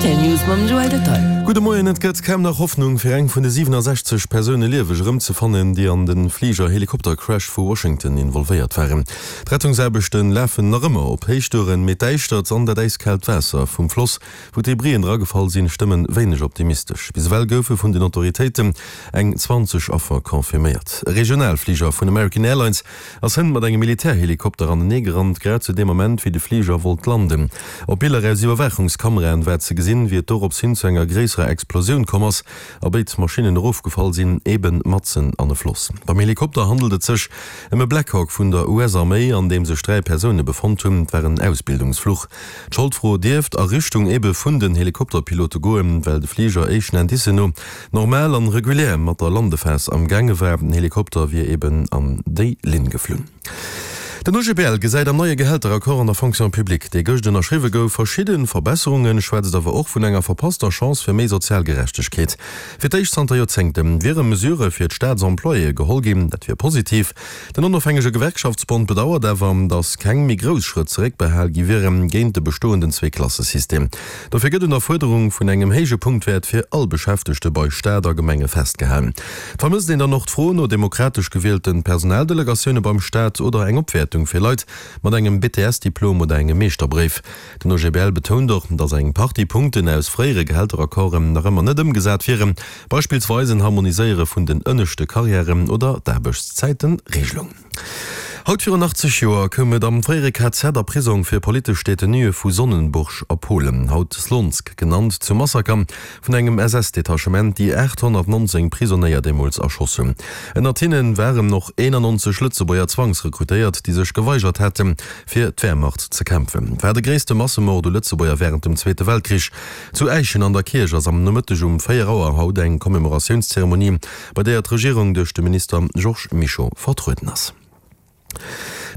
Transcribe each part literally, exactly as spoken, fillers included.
Rtl News mam Joël Detaille. Gudde Moien, Et gëtt kaum nach Hoffnung fir eng vun de siwenasechzeg Persoune lieweg erëmzefannen, déi an de Fliger-Helikopter-Crash vu Washington involvéiert waren. D'Rettungsaarbechte lafen nach ëmmer op Héichtouren, mee d'Däischtert an dat äiskaalt Waasser vum Floss, wou d'Debrien dragefall sinn, stëmmen wéineg optimistesch. Bis ewell goufe vun den Autoritéiten eng zwanzeg Affer confirméiert. E Regionalfliger vun American Airlines ass hënt mat engem Militärhelikopter anenee gerannt, grad zu deem Ament, wéi de Fliger wollt landen. Op Biller aus Iwwerwaachungskameraen war ze gesinn, wéi et dorops hin zu enger gréisserer Explosioun komm ass a béid Maschinnen erofgefall sinn, eben matzen an e Floss. Beim Helikopter handelt et sech ëm e Black Hawk vun der U S-Arméi, an deem sech dräi Persoune befonnt hunn. Et war en Ausbildungsfluch. D'Scholdfro dierft a Richtung ebe vun den Helikopterpilote goen, well de Fliger éischten Indicen no normal an regulär mat der Landephas am gaange war. Den Helikopter wier eben an déi Linn geflunn. Den O G B L gesäit am neie Gehälteraccord an der Fonction publique, dee gëscht ënnerschriwwe gouf, verschidde Verbesserungen, schwätzt awer och vun enger verpasster Chance fir méi sozial Gerechtegkeet. Fir d'éischt zanter Joerzéngte wiere Mesurë fir d'Staatsemployéë geholl ginn, dat wier positiv. Den onofhängege Gewerkschaftsbond bedauert awer, datt keng méi grouss Schrëtt zeréckbehal gi wiere géint de bestoenden Zweeklassesystem. Dofir gëtt un der Fuerderung vun engem héije Punktwäert fir all Beschäftegte bei Staat a Gemenge festgehalen. Et vermësst een dann och d'Fro no demokratesch gewielte Personaldelegatioune beim Staat oder eng Opwäertung fir Leit mat engem B T S-Diplom oder engem Meeschterbréif. Den O G B L betount och, datt eng Partie Punkten aus fréiere Gehälteraccorden nach ëmmer net ëmgesat wieren, beispillsweis en Harmoniséiere vun den ënneschte Karriären oder d'Aarbechtszäitenregelung. Haut virun achtzeg Joer koum et am fréiere K Z a Prisong fir politesch Detenuë vu Sonnenburg a Polen, haut Slonsk genannt, zum Massaker vun engem S S-Detachement, déi aathonnertnonzéng Prisonéier deemools erschoss hunn. Ënnert hinne waren och eenannonzeg Lëtzebuerger Zwangsrekrutéiert, déi sech geweigert haten, fir d'Wehrmacht ze kämpfen. Et war de gréisste Massemord u Lëtzebuerger wärend dem Zweete Weltkrich. Zu Äischen an der Kierch ass am Nomëtteg um véier Auer haut eng Commémoratiounszeremonie, bei deeër d'Regierung duerch de Minister Georges Mischo vertrueden ass.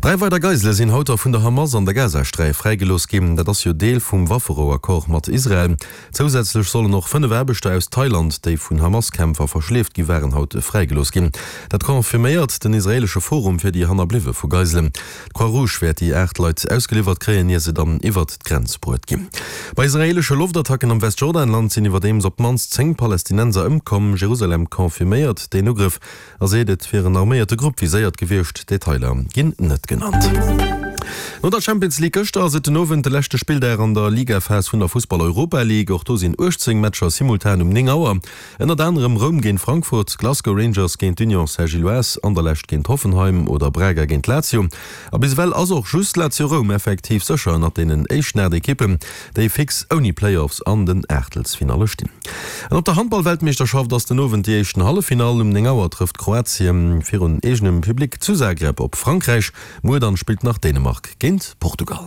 Dräi weider Geisele sinn haut da vun der Hamas an der Gazasträif fräigelooss ginn. Dat ass jo Deel vum Wafferou-Accord mat Israel. Zousätzlech sollen och fënnef Aarbechter aus Thailand, déi vun Hamas-Kämpfer verschleeft gi waren, haut fräigelooss ginn. Dat confirméiert den israeelesche Forum fir déi Hannerbliwwe vu Geiselen. D'Croix-Rouge wäert déi aacht Leit ausgeliwwert kréien, ier se dann iwwert d'Grenz bruet ginn. Bei israeelesche Loftattacken am Westjordanland sinn iwwerdeems op d'mannst zéng Palästinenser ëmkomm. Jerusalem confirméiert deen Ugrëff a seet, et wier en arméierte Grupp viséiert gewiescht. Detailer ginn net genannt. No der Champions League gëschter ass et den Owend de leschte Spilldag an der Ligaphas vun der Fussball-Europa League. Och do sinn uechtzéng Matcher simultan um néng Auer. Ënnert anerem Roum géint Frankfurt, Glasgow Rangers géint d'Union Saint-Gilloise, Anderlecht géint Hoffenheim oder Braga géint Lazio. A bis ewell ass och just Lazio Roum effektiv sécher ënnert deenen éischten aacht Ekippen, déi fix ouni Playoffs an den Aachtelsfinalle stinn. An op der Handball-Weltmeeschterschaft ass den Owend déi éischten Halleffinall. Um néng Auer trëfft Kroatien virun eegenem Public zu Zagreb op Frankräich. Muer dann spillt nach Dänemark géint Portugal.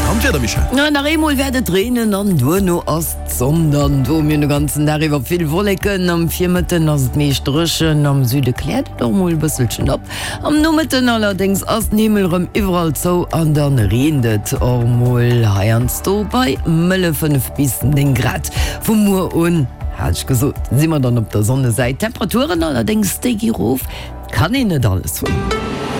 An d'Wieder, Michèle? Na, nach eemol wäert et reenen an duerno ass d'Sonn dann do. Mir hunn de ganzen Dag iwwer vill Wolleken. Am Virmëtten ass et meescht dréchen, am Süde kläert et och mol e bësselchen op. Am Nomëtten allerdéngs ass den Himmel rëm iwwerall zou an dann reent et och mol heiansdo bei mëlle fënnef bis néng Grad. Vu muer un, hat ech gesot, si mer dann op der Sonnesäit. D'Temperaturen allerdéngs, déi gi rof, 't kann een net alles hunn.